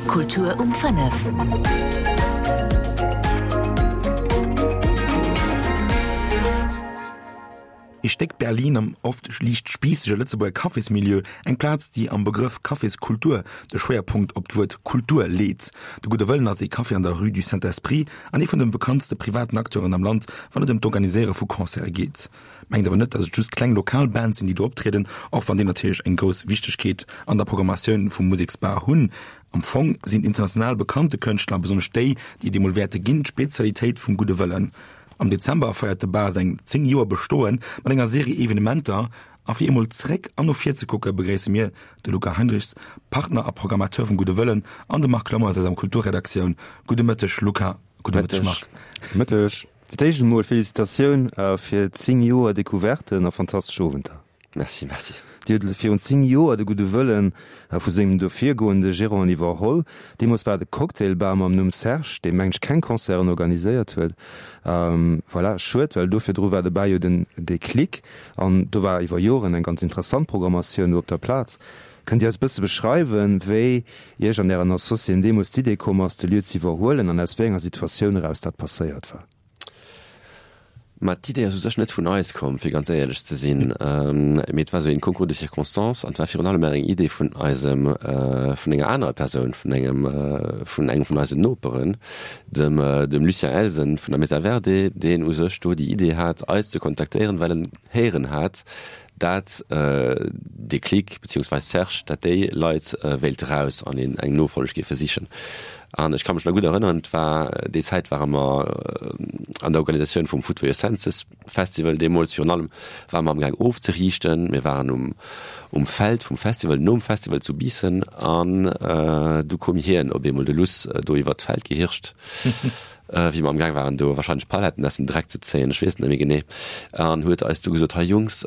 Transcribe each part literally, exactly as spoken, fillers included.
Kultur um fënnef. Ee Stéck Berlin am oft liicht spiissege Lëtzebuerger Cafésmilieu, eng Plaz, déi am Begrëff Caféskultur de Schwéierpunkt op d'Wuert Kultur leet. De Gudde Wëllen ass ee Café an der Rue du Saint-Esprit an ee vun de bekanntste privaten Acteuren am Land, wann et ëm d'Organiséiere vu Concerte geet. Mengt awer net, datt et just kleng lokal Bands sinn, déi do optrieden, och wann déi natierlech eng grouss Wichtegkeet an der Programmatioun vum Museksbar hunn. Am Fong sinn international bekannte Kënschtler, besonnesch déi, déi et eemol wäerte ginn, d'Spezialitéit vum Gudde Wëllen. Am Dezember feiert de Bar säin zéng Joer Bestoe mat enger Serie Evenementer. A fir eemol zréck an no vir ze kucke begréisse mir de Luca Heinrichs, Partner a Programmateur vum Gudde Wëllen, an de Marc Clement aus eiser Kulturredaktioun. Gudde Mëtteg Luca, gudde Mëtteg Marc. Mëtteg. Fir d'éischt emol Felicitatioun fir zéng Joer Decouverten a fantastesch Owenter. Merci, merci. Dir hutt virun zéng Joer de Gudde Wëllen vu sengem do virgoende Gérant iwwerholl. Deemools war et e Cocktailbar mam Numm Serge, dee mengt ech keng Concerten organiséiert huet. Voilà, schued, well do virdru war de Bar jo den Déclic an do war iwwer Joren eng ganz interessant Programmatioun do op der Plaz. Kënnt Dir eis e bësse beschreiwen, wéi Iech an Ären Associéen deemools d'Idee komm ass, de Lieu z'iwwerhuelen an aus wéi enger Situatioun eraus dat passéiert war? Ma d'Idee ass u sech net vun eis komm, fir ganz éierlech ze sinn, mee et war esou een Concours de circonstances an et war virun allem eng Idee vun eisem, vun enger anerer Persoun, vun engem, vun engem vun eisen Noperen, dem, dem Lucien Elsen vun der Mesa Verde, deen u sech do déi Idee hat, eis ze kontaktéieren, well en héieren hat, dat Déclic beziehungsweise Serge, dat déi Leit wéilte raus an een eng Nofolleg géife sichen. An ech ka mech nach gutt erënneren, et war déi Zäit ware mer an der Organisatioun vum Food for Your Senses Festival deemools, virun allem ware mer amgaang ofzeriichten. Mir waren um um Feld vum Festival, nom Festival zu Biissen an du koum hien op eemol, de Luss, do iwwert d'Feld gehirscht. Wéi mer amgaang waren do wahrscheinlech Paletten aus dem Dreck ze zéien, ech weess et net méi genee, an huet eis du gesot, hei Jungs,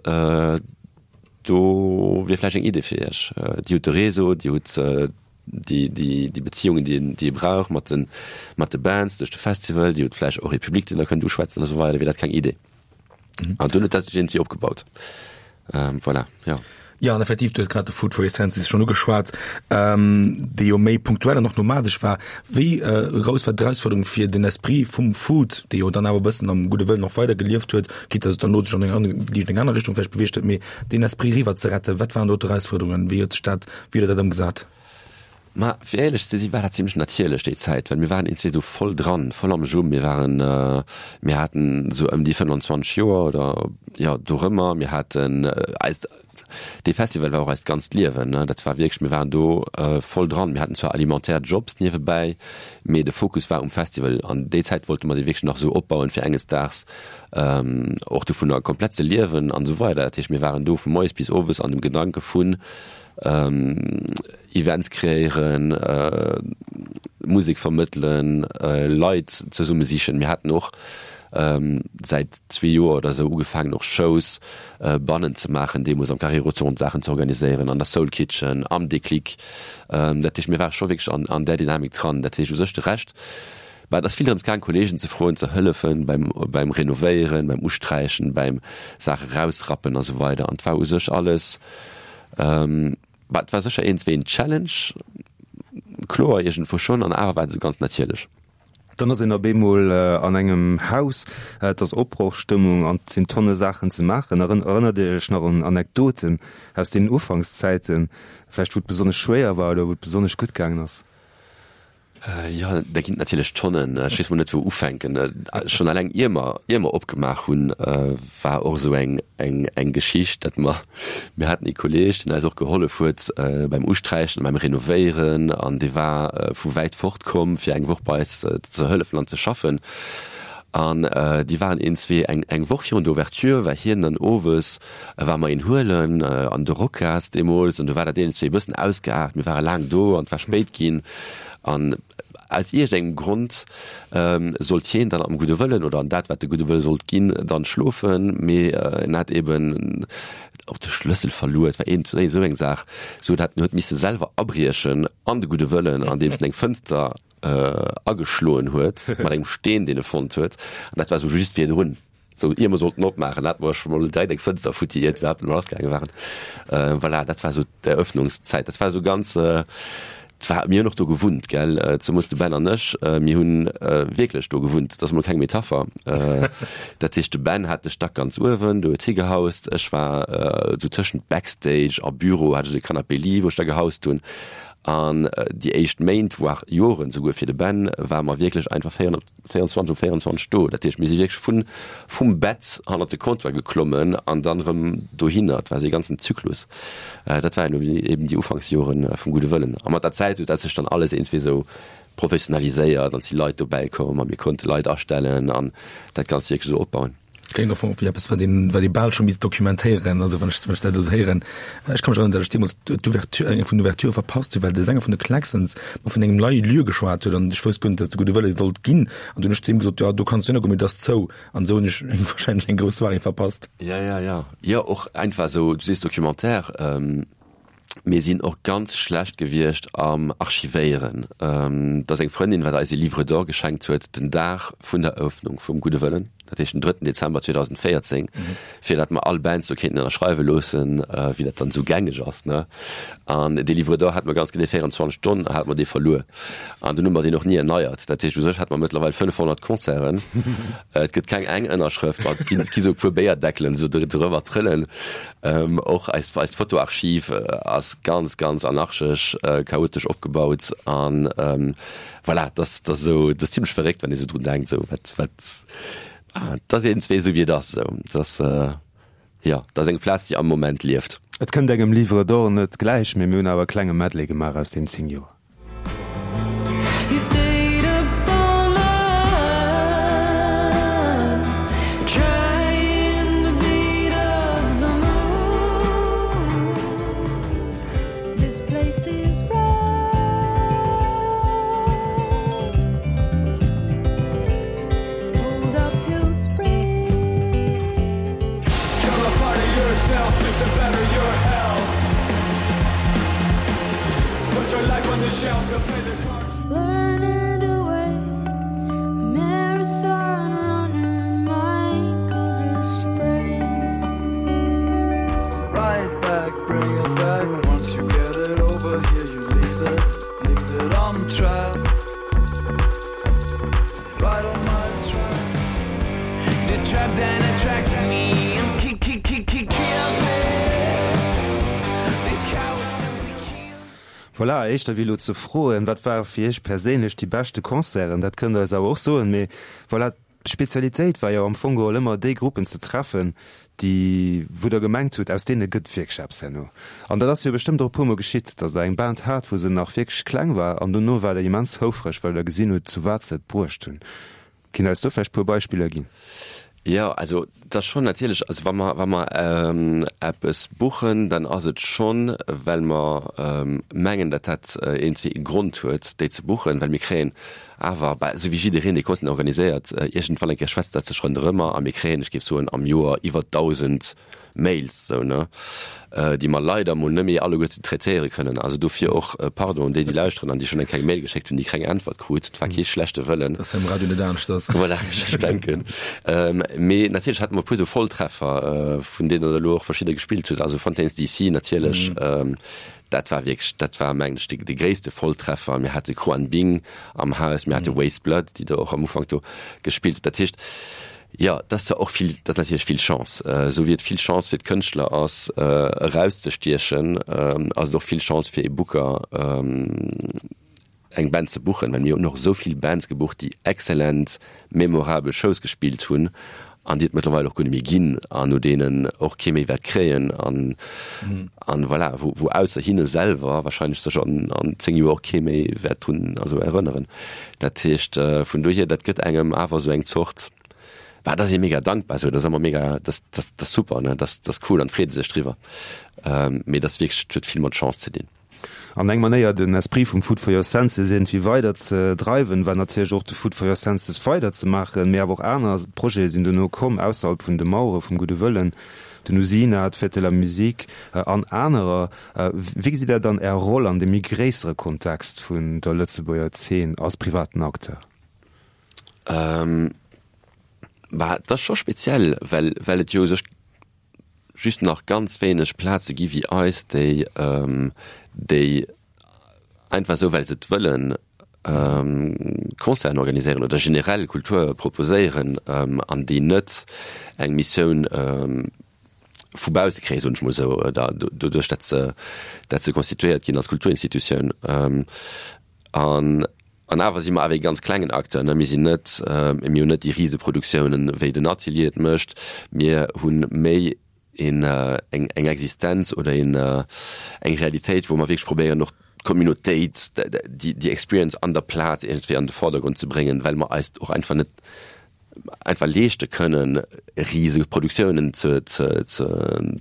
do wier vläicht eng Idee fir iech. Dir hutt de Réseau, dir hutt déi, déi, déi Beziehungen, déi een, déi ee brauch mat de, mat de Bands duerch de Festival, dir hutt vläicht och ee Public, deen der kënnt uschwätzen a sou weider, wier dat keng Idee? An dunn huet dat sech iergendwéi opgebaut. Voilà, jo. Jo, an effektiv, du hues grad de Food for Your Senses schonn ugeschwat, dee jo méi punktuell an och nomadesch war. Wéi grouss war d'Erausfuerderung, fir den Esprit vum Food, dee jo dann awer e bëssen am Gudde Wëllen och weider gelieft huet, quitte dass et dann no sech an eng aner, liicht eng aner Richtung vläicht beweegt huet, mee deen Esprit eriwwer ze retten? Wat waren do d'Erausfuerderungen? Wéi huet sech dat, wéi hutt Der dat ëmgesat? Ma fir éierlech ze sinn, war dat zimlech natierlech déi Zäit, well mir waren eentzwee esou voll dran, voll am Jus. Mir waren, mir haten esou ëm déi fënnanzwanzeg Joer oder jo dorëmmer. Mir haten eist, dee Festival war och eist ganzt Liewen, ne. Dat war wierklech, mir waren do voll dran. Mir haten zwar alimentaire Jobs niewebäi, mee de Fokus war um Festival. An déi Zäit wollte mer dee wierklech nach esou opbauen, fir enges Daags och dovunner komplett ze liewen an esou weider. Dat heescht, mir waren do vu moies bis owes an dem Gedanke vun, Events kreéieren, Musek vermëttelen, Leit zesumme sichen. Mir haten och säit zwee Joer oder esou ugefaangen och Shows bannen ze maachen, deemools am Carré Rotonde Saachen ze organiséieren, an der Soul Kitchen, am Déclic. Dat heescht, mir ware scho wierklech an an där Dynamik dran. Dat heescht u sech de Rescht, bah, et ass vill drëms gaang Kolleegen ze froen, ze hëllefen beim beim Renovéieren, beim Usträichen, beim Saache rausrappen a sou weider. An et war u sech alles, Bah, et war sécher iergendwéi en Challenge, kloer, iergendwou schonn, an awer war et esou ganz natierlech. Dann ass een op eemol an engem Haus, et ass Opbrochstëmmung an et sinn Tonne Saachen ze maachen. Erënnert Dir Iech nach un Anekdoten aus deenen Ufankszäiten, vläicht wou et besonnesch schwéier war oder wou et besonnesch gutt gaangen ass? Jo, der ginn et natierlech Tonnen. Ech weess mol net wou ufänken. Schonn eleng ier mer, ier mer opgemaach hunn, war och esou eng, eng, eng Geschicht, datt mer, mir haten ee Kolleeg, deen eis och gehollef huet beim Usträichen an beim Renovéieren an dee war vu wäit fort komm, fir eng Woch bei eis ze hëllefen an ze schaffen. An déi waren een, zwee, eng, eng Woch virun der Ouverture war hien dann owes, war mer een huelen an de Rocas deemools an do war dat een, zwee e bëssen ausgeaart. Mir ware laang do an et war spéit ginn. An aus iergendengem Grond sollt hien dann am gudde Wëllen oder an dat, wat de gudde Wëlle sollt ginn, dann schlofen, mee en hat eben och de Schlëssel verluer, et war iergendwéi esou eng Saach, sou dat en huet misse selwer abriechen an de gudde Wëllen, andeems en eng Fënster ageschloen huet mat engem Steen, deen e fonnt huet. An dat war esou just virdrun. Sou, ier mer sollten opmaachen, hate mer scho mol direkt eng Fënster futti, iert iwwerhaapt emol lassgaange waren. Voilà, dat war sou d'Eröffnungszäit. Dat war sou ganz, war, mir hunn och do gewunnt, gell, zemoos de Ben an ech, mir hunn wierklech do gewunnt, dat ass emol keng Metapher. Dat heescht, de Ben hat de Stack ganz uewen, do huet hie gehaust, ech war esou tëschent Backstage a Büro, hat ech esou e Canapé-lit, wou ech da gehaust hunn. An déi éischt Méint, voire Joren souguer fir de Ben, ware mer wierklech einfach véierundzwanzeg op véierundzwanzeg do. Dat heescht, mir si wierklech vun, vum Bett hannert de Comptoir geklommen an dann erëm dohinner. Et war esou ee ganzen Zyklus. Dat waren eben déi Ufanksjoren vum Gudde Wëllen. A mat der Zäit huet dat sech dann alles iergendwéi esou professionaliséiert an et si Leit dobäi komm a mir konnte Leit astellen an dat Ganzt wierklech esou opbauen. Kléngt am Fong wéi eppes, wat een, wat ee bal scho misst dokumentéieren, also wann ech, wann ech dat elo esou héieren. Ech ka mech erënneren, datt ech deemools d'Ouverture, eng vun den Ouverturë verpasst hunn, well de Sänger vun de Klaxons mer vun engem neie Lieu geschwat huet an ech wousst guer net, datt et de Gudde Wëlle sollt ginn. An dunn hunn ech zu him gesot, jo, do kanns du hingoen, mee et ass zou. An esou hunn ech eng, wahrscheinlech eng grouss Soirée verpasst. Ja, ja, ja. Jo, och einfach esou, du sees Documentaire. Mir sinn och ganz schlecht gewiescht am Archivéieren. Et ass eng Frëndin, wat eis e Livre d'or geschenkt huet den Dag vun der Eröffnung vum Gudde Wëllen, dat heescht den drëtten Dezember zweedausendvéierzéng, fir dat mer all Bands do kéinten ënnerschreiwe loossen, wéi dat dann esou gängeg ass, ne. An dee Livre d'or hate mer ganz genee véierundzwanzeg Stonn hate mer dee verluer. An dunn hu mer deen och ni erneiert. Dat heescht, u sech hate mer mëttlerweil fënnefhonnert Concerten. Et gëtt keng eng Ënnerschrëft, ma et ginn, et gi sou e puer Béierdeckelen esou driwwer trëllen. Och eist, eist Fotoarchiv ass ganz, ganz anarchesch, chaotesch opgebaut. An voilà, dat ass, dat ass esou, dat ass zimlech verréckt, wann ee sou drun denkt, esou wat, wat, dat ass iergendswéi esou wéi et ass esou. Dat ass, jo, dat ass eng Plaz, déi am Moment lieft. Et kënnt engem Livre d'or net gläich, mee mir hunn awer e klenge Medley gemaach aus den zéng Joer. Voilà, éischter wéi elo ze froen, wat ware fir Iech perséinlech déi beschte Concerten, dat kënnt Der eis awer och soen, mee voilà, d'Spezialitéit war jo am Fong geholl ëmmer déi Gruppen ze treffen, déi, wou Der gemengt hutt, aus deene gëtt wierklech eppes herno. An dat ass jo bestëmmt och e puermol geschitt, datt Der eng Band hat, wou se nach wierklech kleng war an dono war Der immens houfreg, well Der gesinn hutt, zu wat se et bruecht hunn. Kinnt Der eis do vläicht e puer Beispiller ginn? Jo, also et ass schonn natierlech, also wa mer, wa mer eppes buchen, dann ass et schonn, well mer mengen, datt dat iergendwéi e Grond huet, déi ze buchen, well mir kréien awer, bah, esou wéi jiddereen, dee Concerten organiséiert, iergendwann eng Kéier schwätzt dat sech ronderëmmer a mir kréien, ech géif soen, am Joer iwwer dausend Mails, sou, ne, déi mer leider mol net méi alleguerten traitéiere kënnen. Also dofir och Pardon un déi, déi lauschteren an déi schonn eng kleng Mail geschéckt hunn, déi keng Äntwert krut. Et war kee schlechte Wëllen. Dat ass am Radio net aneschters. Voilà, ech denken. Mee natierlech hate mer e puer sou Volltreffer, vun deenen der elo och verschidder gespillt hutt. Also Fontaines D C natierlech, dat war wierklech, dat war mengen ech de, de gréisste Volltreffer. Mir hate Khruangbin am Haus, mir hate Weyes Blood, déi der och am Ufank do gespillt hutt. Dat heescht, Jo, dat ass zwar och vill, dat ass natierlech vill Chance. Esou wéi et vill Chance fir d'Kënschtler ass, erauszestiechen, ass et och vill Chance fir ee Booker, eng Band ze buchen. Well mir hunn och esou vill Bands gebucht, déi excellent, memorabel Shows gespillt hunn an déi et mëttlerweil och guer net méi ginn an no deenen och kee méi wäert kréien an, an voilà, wou, wou ausser hinne selwer wahrscheinlech sech an, an zéng Joer och kee méi wäert drun, also erënneren. Dat heescht, vun dohier, dat gëtt engem awer esou eng Zort, Bah, dat ass ee mega dankbar esou, dat ass ëmmer mega, dat, dat, dat ass super, ne, dat, dat ass cool an freet ee sech driwwer. Mee dat ass wierklech, dat huet vill mat Chance ze dinn. An eng Manéier den Esprit vum Food for your Senses iergendwéi weider ze dreiwen, war natierlech och de Food for your Senses weider ze maachen, mee awer och aner Projete sinn dono komm, ausserhalb vun de Mauere vum Gudde Wëllen, den Usina, d'Fête de la Musique an anerer. Wéi gesitt Der dann Är Roll an deem méi gréissere Kontext vun der Lëtzebuerger Zeen als privaten Acteur? Ähm, bah, dat ass scho speziell, well, well et jo u sech just nach ganz wéineg Plaze gi wéi eis, déi, déi einfach esou well se et wëllen, Concerten organiséieren oder generell Kultur proposéieren an déi net eng Missioun vu bausse kréien, soen ech mol esou, oder doduerch, datt se, datt se constituéiert ginn als Kulturinstitutioun. An, an awer si mer awer ee ganz klengen Acteur, ne. Mir sinn net, mir hunn net déi Riseproduktiounen, wéi den Atelier et mécht. Mir hu méi een, eng, eng Existenz oder een, eng Realitéit, wou mer wierklech probéieren och d'Communautéit, déi, déi Experience an der Plaz iergendwéi an de Vordergrond ze bréngen, well mer eis och einfach net einfach leeschte kënnen, riseg Produktiounen ze, ze, ze,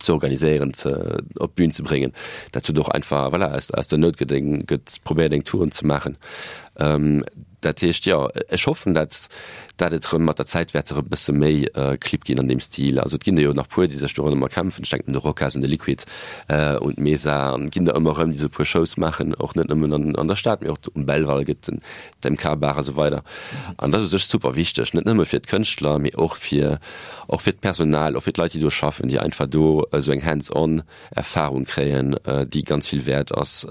ze organiséieren, ze, op d'Bün ze bréngen. Dat huet och einfach, voilà, aus, aus der Nout gëtt eng, gëtt probéiert eng Touren ze maachen. Dat heescht, jo, ech hoffen, dat, dat et erëm mat der Zäit wäert erëm e bësse méi Clibb ginn an deem Stil. Also et ginn der jo nach puer, déi sech do ronderëm erkämpfen. Ech denken un de Rocas, un de Liquid, un d'Mesa, an et ginn der ëmmer erëm, déi esou e puer Shows maachen, och net nëmmen an, an der Stad, mee och um Belval gëtt den d'M K Bar a sou weider. An dat ass u sech super wichteg, net nëmme fir d'Kënschtler, mee och fir, och fir d'Personal, och fir d'Leit, déi do schaffen, déi einfach do esou eng hands-on Erfahrung kréien, déi ganz vill wäert ass.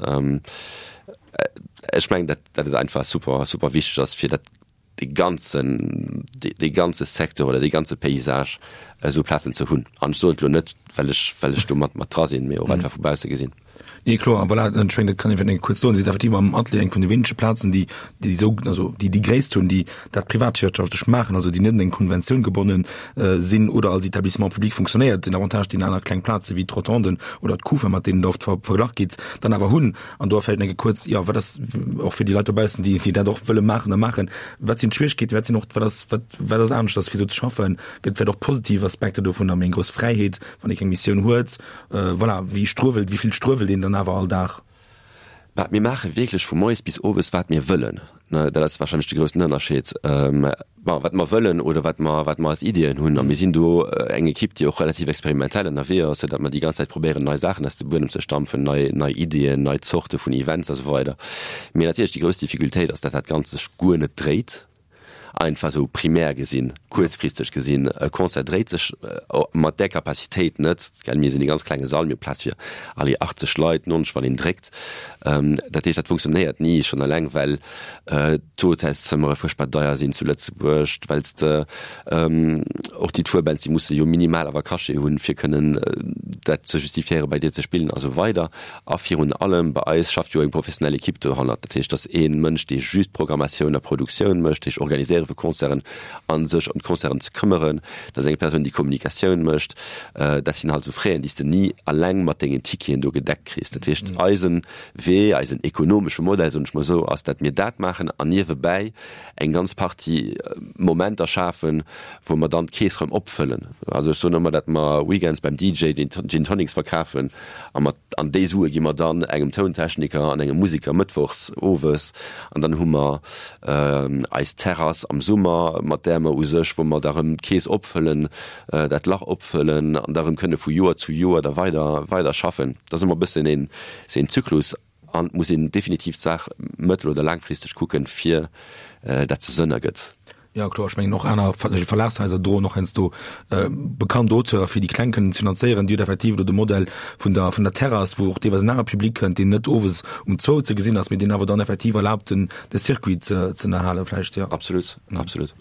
Ech mengen, dat, dat et einfach super, super wichteg ass, fir dat dee ganzen, dee ganze Secteur oder dee ganze Paysage esou Plazen ze hunn. An ech soen et elo net, well ech, well ech do mat, mat dra sinn, mee och einfach vu bausse gesinn. Nee, kloer, an voilà, ech mengen, dat kann ee vläicht kuerz soen, si sinn effektiv am Atelier eng vun de wéinege Plazen, déi, déi esou, also déi déi Gréisst hunn, déi dat privatwirtschaftlech maachen, also déi net un eng Konventioun gebonnen sinn oder als Établissement public funktionéiert. Den Avantage, deen aner kleng Plaze wéi d'Rotonden oder d'Kufa, mat deenen Der oft verglach gitt, dann awer hunn. An do vläicht eng kuerz, jo, wat ass och fir déi Leit dobaussen, déi, déi dat och wëlle maachen a maachen, wat sinn d'Schwieregkeeten, wat sinn och, wat ass, wat, wat ass aneschters, fir esou ze schaffen? Gëtt vläicht och positiv Aspekter dovun, méi eng grouss Fräiheet, wann ee keng Missioun huet? Voilà, wéi struewelt, wéi vill struewelt een dann awer all Dag? Bah, mir maache wierklech vu moies bis owes, wat mir wëllen. Ne, dat ass wahrscheinlech de groussen Ënnerscheed. Bon, wat mer wëllen oder wat mer, wat mer als Iddien hunn. A mir sinn do eng Ekipp, déi och relativ experimentell ënnerwee ass, soudatt mer déi ganz Zäit probéieren, nei Saachen aus dem Buedem ze stampfen, nei, nei Iddien, nei Zorte vun Events a sou weider. Mee natierlech déi grouss Difficultéit ass, datt dat Ganzt sech guer net dréit. Einfach esou primär gesinn, kuerzfristeg gesinn, e Concert dréit sech mat där Capacitéit net, gell. Mir sinn e ganz klenge Sall, mir hu Plaz fir, allez, achtzeg Leit, neunzeg wann een dréckt. Dat heescht, dat funktionéiert ni, schonn eleng well d'Hotelszëmmere fuerchtbar deier sinn zu Lëtzebuerg, well s de och déi Tourbands, déi musse jo minimal awer Cachet hunn, fir kënnen dat ze justifiéieren, bei dir ze spillen a sou weider. A virun allem bei eis schafft jo eng professionell Ekipp dohannert. Dat heescht, dass ee Mënsch, dee just Programmatioun a Produktioun mécht, dat heescht Organiséiere vu Concerten a sech ëm d'Concerten ze këmmeren, dat ass eng Persoun, déi Kommunikatioun mécht. Dat sinn halt esou Fräen, déi s de ni alleng mat dengen Ticketen do gedeckt kriss. Dat heescht, eisen Wee, eisen ekonomesche Modell, soen ech mol esou, ass, dat mir dat maachen an niewebäi eng ganz Partie Momenter schafen, wou mer dann d'Keess erëm opfëllen. Also ech soen ëmmer, dat mer weekends beim D J den Gin Tonics verkafen a mat an déi Sue gi mer dann engem Tountechniker an engem Musiker mëttwochs owes an dann hu mer eis Terrass am Summer, mat där mer u sech, wou mer da rëm d'Keess opfëllen, dat Lach opfëllen an da rëm kënne vu Joer zu Joer da weider weider schaffen. Dat ass ëmmer e bëssen een een Zyklus an et muss een definitiv d'Saach mëttel oder laangfristeg kucken, fir dat se Sënn ergëtt. Jo, kloer, ech mengen och aner Verlagshaiser droen och heiansdo bekannt Auteure fir déi Kleng kënnen ze finanzéieren. Déi huet effektiv elo de Modell vun der vun der Terrass, wou och deelweis en anere Public kënnt, deen net owes um zwou ze gesinn ass, mee deen awer dann effektiv erlaabt den de Circuit ze ze ënnerhalen vläicht, jo. Absolut, absolut.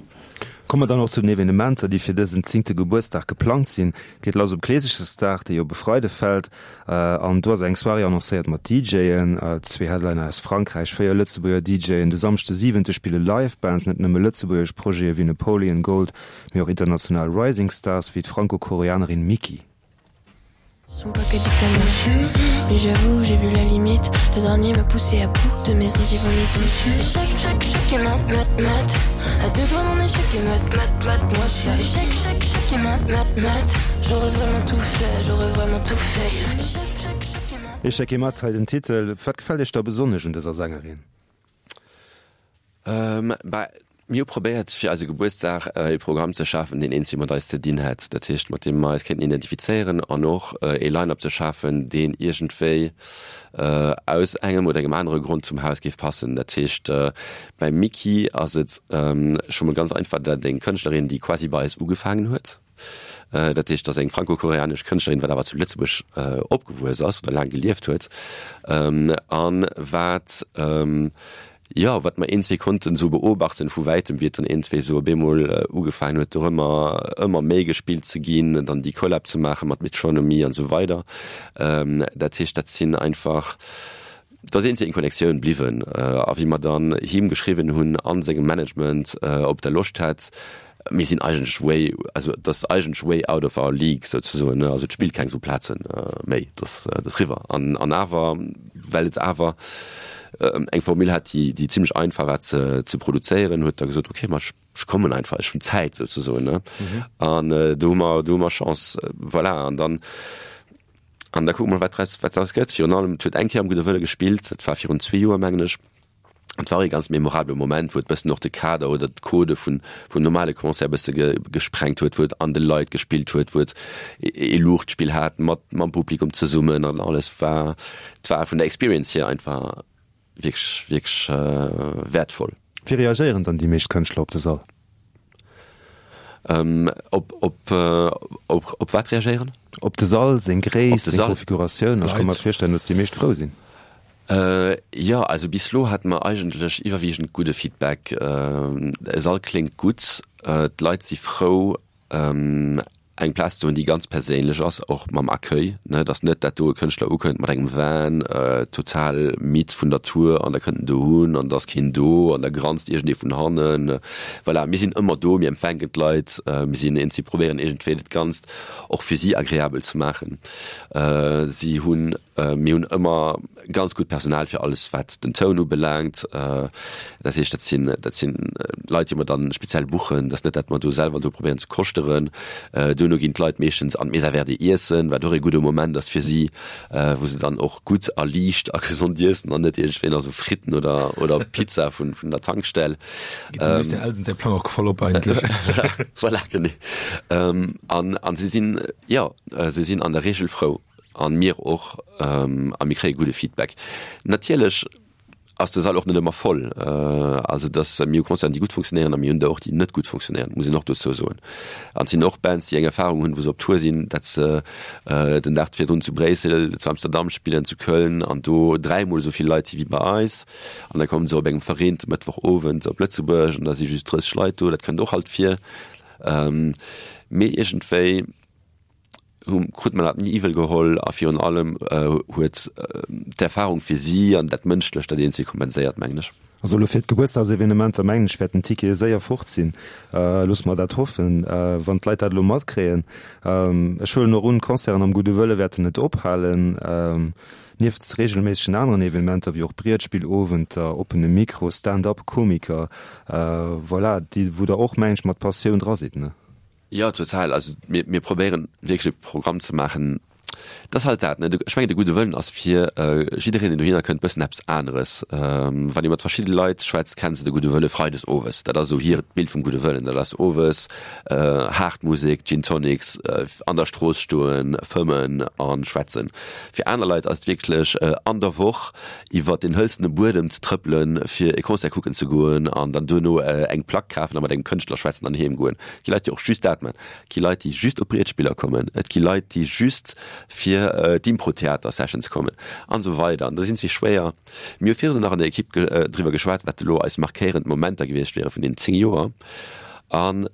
Komme mer dann och zu den Evenementer, déi fir dësen zéngte Gebuertsdag geplangt sinn. Et geet lass op Kleesechersdag, dee jo op e Freide fält. An do ass eng Soirée annoncéiert mat D Jen, zwee Headliner aus Frankräich, véier Lëtzebuerger D Jen. De Samschde siwente spille Live Bands, net nëmme lëtzebuergesch Projete wéi Napoleon Gold, mee och international Rising Stars wéi d'Franko-Koreanerin Miki. Sont pas que des Mais j'avoue, j'ai vu la limite. Le dernier m'a poussé à bout de mes anti-vomitifs. Échec, échec, échec et mat, mat, mat. À deux doigts d'un échec et mat, mat, mat. Moi, je suis échec, échec, échec et mat, mat, mat. J'aurais vraiment tout fait, j'aurais vraiment tout fait. Échec, échec, échec et mat. Échec et mat, hei den Titel. Wat gefält Iech da besonnesch un dëser Sängerin? Ähm, bah, mir hu probéiert fir eise Gebuertsdag e Programm ze schafen, deen eenzel mat eis ze dinn hätt, dat heescht mat deem mer eis kéinten identifizéieren an och e Line-up ze schafen, deen iergendwéi aus engem oder engem anere Grond zum Haus géif passen. Dat heescht beim Miki ass et scho mol ganz einfach, dat eng Kënschtlerin, déi quasi bei eis ugefaangen huet, Dat heescht, dat ass eng franco-koreanesch Kënschtlerin, wat awer zu Lëtzebuerg opgewuess ass oder laang gelieft huet an wat, jo, wat mer een, zwee konnten esou beobachten vu wäitem, wéi et dann een, zwee esou op eemol ugefaangen huet, do ëmmer, ëmmer méi gespillt ze ginn, dann déi Collab ze maache mat Metronomy an esou weider. Dat heescht, dat sinn einfach, do ass een, zwee eng Connectioun bliwwen a wéi mer dann him geschriwwen hunn a sengem Management, ob der Loscht hätt, Mir sinn eigentlech way, also et ass eigentlech way out of our league souzesoen, ne, also et spillt keng esou Plaze méi, et ass, et ass riwwer. An, an awer, well et awer eng Formule hat, déi, déi zimlech einfach war ze, ze produzéieren, huet da gesot, okay, ma ech, ech kommen einfach, ech hunn Zäit souzesoen, ne. An do hu mer, do hu mer Chance, voilà. An dann, an da kucke mer, wat draus, wat draus gëtt. Virun allem, et huet eng Kéier am Gudde Wëlle gespillt, dat war virun zwee Joer, mengen ech. Et war ee ganz memorabele Moment, wou et bëssen och de Kader oder d'Codë vun vum normale Concert bësse gesprengt huet, wou et an de Leit gespillt huet, wou et ee Luuchtspill hat mat mam Publikum zesummen an alles war, et war vun der Experience hier einfach wierklech, wierklech wäertvoll. Wéi reagéieren dann déi meescht Kënschtler op de Sall? Op, op, op, op wat reagéieren? Op de Sall, seng Gréisst, seng Konfiguratioun. Ech ka mer virstellen, datt déi meescht frou sinn. Jo, also bis elo hate mer eigentlech iwwerwiegend gudde Feedback. De Sall kléngt gutt, d'Leit si frou eng Plaz ze hunn, déi ganz perséinlech ass, och mam Accueil, ne, dass net dat do e Kënschtler ukënnt mat engem Van, total midd vun der Tour an da kënnt en dohun an da ass keen do an da granzt iergendee vun hannen. Voilà, mir sinn ëmmer do, mir empfänken d'Leit, mir sinn eens, mir probéieren iergendwéi dat Ganzt och fir si agreabel ze maachen. Si hunn Mir hunn ëmmer ganz gutt Personal fir alles wat den Toun ubelaangt. Dat heescht, dat sinn, dat sinn Leit, déi mer dann speziell buchen. Dat ass net, dat mer do selwer do probéieren ze koschteren. Duerno ginn d'Leit meeschtens an d'Mesa Verde iessen, wat och ee gudde Moment ass fir si, wou se dann och gutt a liicht a gesond iessen an net iergendwéi nach esou Fritten oder, oder Pizza vun, vun der Tankstell. Geet dem Lucien Elsen säi Plang och voll op eigentlech. Voilà, genee. An, an si sinn, jo, si sinn an der Reegel frou. An mir och, a mir kréie gudde Feedback. Natierlech ass de Sall och net ëmmer voll. Also dass mir hu Concerten, déi gutt funktionéieren a mir hunn der och, déi net gutt funktionéieren, muss een och dozou soen. An et sinn och Bands, déi eng Erfahrung hunn, wou se op Tour sinn, dat se den Dag virdrun zu Bréissel, zu Amsterdam spillen, zu Köln an do dräimol esou vill Leit si wéi bei eis. An da kommen se op engem verreente Mëttwochowend op Lëtzebuerg an da si just drësseg Leit do. Dat kënnt och alt vir. Mee iergendwéi hu krut mer dat ni iwwel geholl a virun allem huet d'Erfahrung fir si an dat Mënschlecht dat eenzee kompenséiert, mengen ech. Also elo fir d'Gebuertsdagsevenementer mengen ech wäerten d'Tickete séier fort sinn. Loosse mer dat hoffen, wann d'Leit dat elo matkréien. Ech huelen och un, d'Concerten am Gudde Wëlle wäerten net ophalen. Nieft reegelméissegen aneren Evenementer wéi och Brietspillowenter, oppene Mikro, Stand-up-Komiker, voilà, déi wou der och mengen ech mat Passioun dra sidd, ne? Jo, total. Also mir, mir probéieren wierklech e Programm ze maachen. Dat ass halt dat, ne? Ech mengen, de gudde Wëllen ass fir jiddereen, deen dohinner kënnt, bëssen eppes aneres. Wann ee mat verschidde Leit schwätzt, kenne se de gudde Wëlle freides owes. Dat ass esou hiert Bild vum gudde Wëllen. Dat ass owes haart Musek, Gin Tonics, an der Strooss stoen, fëmmen a schwätzen. Fir aner Leit ass et wierklech an der Woch iwwer den hëlzene Buedem ze trëppelen, fir e Concert kucken ze goen an dann duerno eng Plack kafen a mat engem Kënschtler schwätzen an heem goen. Et gi Leit, déi och just dat man. Et gi Leit, déi just op Brietspiller kommen. Et gi Leit, déi just fir d'Impro-Theater-Sessions kommen an esou weider. An da sinn zwee schwéier. Mir hu virdrun nach an der Ekipp driwwer geschwat, wat elo eis markéierend Momenter gewiescht wiere vun deenen zéng Joer. An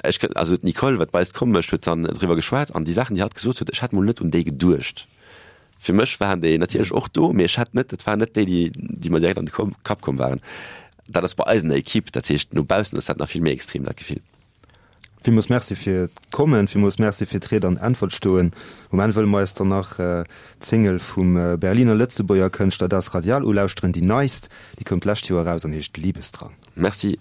ech, also d'Nicole, wat bei eis d'Komm mécht, huet dann driwwer geschwat an déi Saachen, déi hatt gesot huet, ech hat mol net un déi geduecht. Fir mech waren déi natierlech och do, mee ech hat net, dat waren net déi, déi, déi mer direkt an de Kapp komm waren. Dat ass bei eis an der Ekipp, dat heescht no baussen ass dat nach vill méi extrem, dat Gefill. Villmools Merci fir d'Kommen, villmools Merci fir d'Ried an Äntwert stoen. Um Enn wëlle mer eis dann nach d'Single vum Berliner Lëtzebuerger Kënschtler Das Radial ulauschteren, déi neist, déi koum d'lescht Joer eraus an heescht Liebesdrang. Merci.